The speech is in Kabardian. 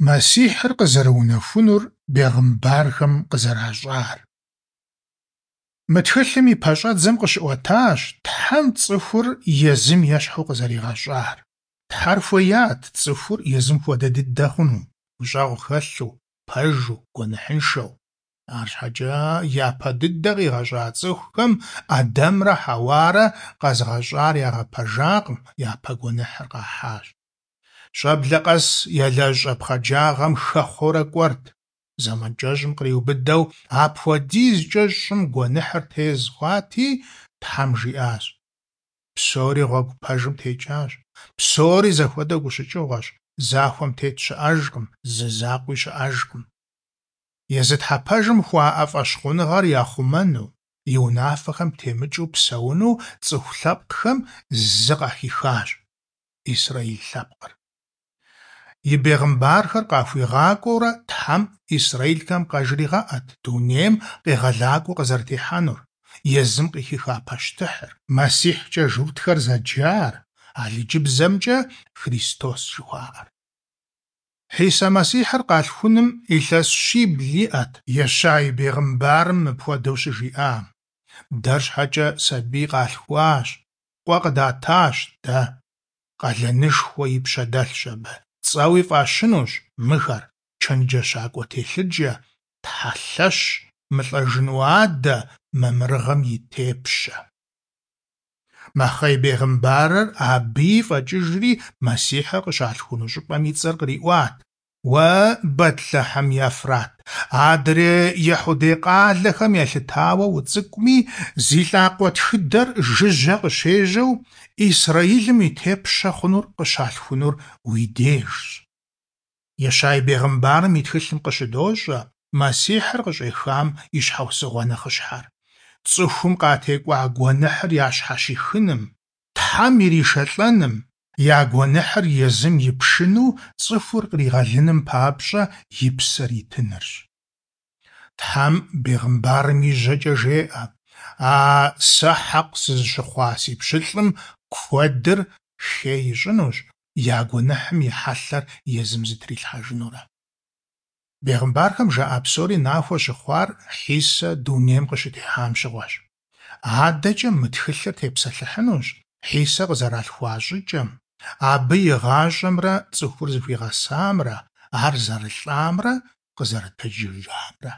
Мэссихьыр къызэрыунэхунур бегъымбархэм къызэращӏар. Мы тхылъым и пэщӏэдзэм къыщыӏуэтащ Тхьэм цӏыхур езым ещхьу къызэригъэщӏар. Тхьэр хуеят цӏыхур езым хуэдэ дыдэ хъуну, гущӏэгъу хэлъу, пэжу, гуэныхьыншэу. Арщхьэкӏэ япэ дыдэ къигъэщӏа цӏыхухэм Ӏэдэмрэ Хьэуарэ къэзыгъэщӏар ягъэпэжакъым, япэ гуэныхьыр къахьащ. Щӏэблэ къэс ялэжь щӏэпхъаджагъэм хэхъуэурэ кӏуэрт. Зэман кӏэщӏым къриубыдэу апхуэдизкӏэ щӏым гуэныхьыр тез хъуати, Тхьэм жиӏащ: Псори гъуэгу пэжым текӏащ, псори зэхуэдэу гущыкӏыгъуэщ, захуэм тет щыӏэжкъым, зы закъуи щыӏэжкъым. Езы Тхьэ пэжым хуаӏэ фӏэщхъуныгъэр яхъумэну, и унафэхэм темыкӏыу псэуну цӏыху лъэпкъхэм зы къахихащ – Исраил лъэпкъыр. И бегъымбархэр къахуигъакӏуэурэ Тхьэм исраилхэм къажригъэӏэт дунейм къегъэлакӏуэ къызэрытехьэнур, езым къыхиха пащтыхьыр, Мэссихькӏэ журтхэр зэджар, алыджыбзэмкӏэ Христос жыхуаӏэр. Хьисэ Мэссихьыр къалъхуным илъэс щибл иӏэт Ещай бегъымбарым мыпхуэдэу щыжиӏам: Дэр щхьэкӏэ сабий къалъхуащ, къуэ къыдатащ дэ. Къалэнышхуэ и пщэ дэлъщ абы, цӏэуи фӏащынущ мыхэр: Чэнджэщакӏуэ телъыджэ, Тхьэ лъэщ, мылӏэжыну адэ, мамырыгъэм и тепщэ. Мэхъей бегъымбарыр абыи фӏэкӏыжри Мэссихьыр къыщалъхуну щӏыпӏэм и цӏэр къриӏуат: Уэ, Бэтлъэхьым Ефрат, адрей ехьудей къалэхэм елъытауэ уцӏыкӏуми, зи лӏакъуэ тхыдэр жыжьэ къыщежьэу Исраилым и тепщэ хъунур къыщалъхунур уи дежщ. Ещай бегъымбарым и тхылъым къыщыдощӏэ Мэссихьыр къыщӏехам и щхьэусыгъуэ нэхъыщхьэр: цӏыхум къатекӏуа гуэныхьыр ящхьэщихыным, Тхьэм иришэлӏэным, я гуэныхьыр езым ипшыну цӏыхур къригъэлыным папщӏэ и псэр итынырщ. Тхьэм бегъымбарым и жьэкӏэ жеӏэ: А сэ хьэкъ сызыщыхъуа си пщылӏым куэдыр хей ищӏынущ, я гуэныхьым и хьэлъэр езым зытрилъхьэжынурэ. Бегъымбархэм жаӏа псори нахуэ щыхъуар Хьисэ дунейм къыщытехьам щыгъуэщ. Адэкӏэ мы тхылъыр тепсэлъыхьынущ Хьисэ къызэралъхуа щӏыкӏэм, абы и гъащӏэмрэ цӏыхур зыхуигъэсамрэ, ар зэрылӏамрэ къызэрытэджыжамрэ.